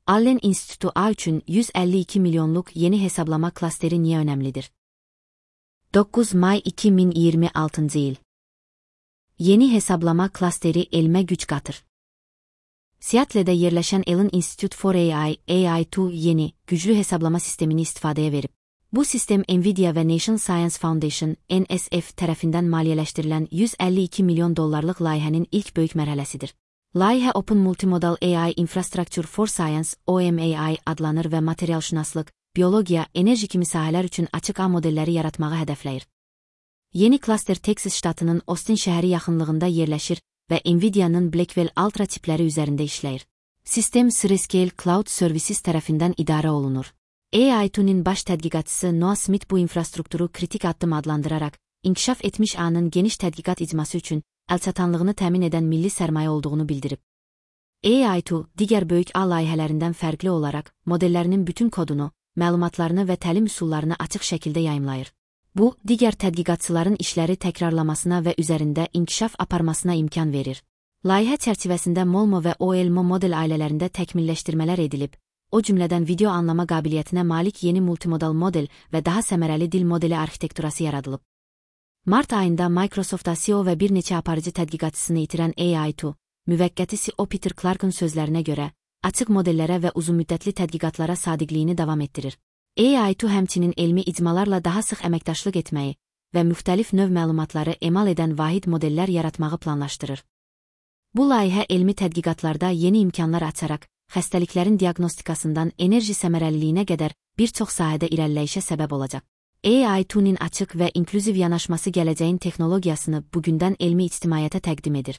Allen İnstitutu A üçün 152 milyonluk yeni hesablama klasteri niye önemlidir? 9 May 2026 yıl. Yeni hesablama klasteri elmə güc qatır. Seattle'də yerləşən Allen Institute for AI, AI2 yeni, güclü hesablama sistemini istifadəyə verib. Bu sistem Nvidia və National Science Foundation, NSF tərəfindən maliyyələşdirilən 152 milyon dollarlıq layihənin ilk böyük mərhələsidir. Layihə Open Multimodal AI Infrastructure for Science, OMAI adlanır və materialşünaslıq, biologiya, enerji kimi sahələr üçün açıq ağ modelləri yaratmağı hədəfləyir. Yeni klaster Texas ştatının Austin şəhəri yaxınlığında yerləşir və Nvidia'nın Blackwell Ultra tipləri üzərində işləyir. Sistem Scale Cloud Services tərəfindən idarə olunur. AI2'nin baş tədqiqatçısı Noah Smith bu infrastrukturu kritik addım adlandıraraq, inkişaf etmiş ağının geniş tədqiqat icması üçün əlçatanlığını təmin edən milli sərmayə olduğunu bildirib. AI2, digər böyük ağ layihələrindən fərqli olaraq, modellərinin bütün kodunu, məlumatlarını və təlim üsullarını açıq şəkildə yayımlayır. Bu, digər tədqiqatçıların işləri təkrarlamasına və üzərində inkişaf aparmasına imkan verir. Layihə çərçivəsində Molmo və OLMO model ailələrində təkmilləşdirmələr edilib, o cümlədən video anlama qabiliyyətinə malik yeni multimodal model və daha səmərəli dil modeli arxitekturası yaradılıb. Mart ayında Microsoft'da CEO və bir neçə aparıcı tədqiqatçısını itirən AI2, müvəqqəti CEO Peter Clark'ın sözlərinə görə, açıq modellərə və uzunmüddətli tədqiqatlara sadiqliyini davam etdirir. AI2 həmçinin elmi icmalarla daha sıx əməkdaşlıq etməyi və müxtəlif növ məlumatları emal edən vahid modellər yaratmağı planlaşdırır. Bu layihə elmi tədqiqatlarda yeni imkanlar açaraq, xəstəliklərin diaqnostikasından enerji səmərəliliyinə qədər bir çox sahədə irəliləyişə səbəb olacaq. AI2'nin açıq və inklüziv yanaşması gələcəyin texnologiyasını bugündən elmi ictimaiyyətə təqdim edir.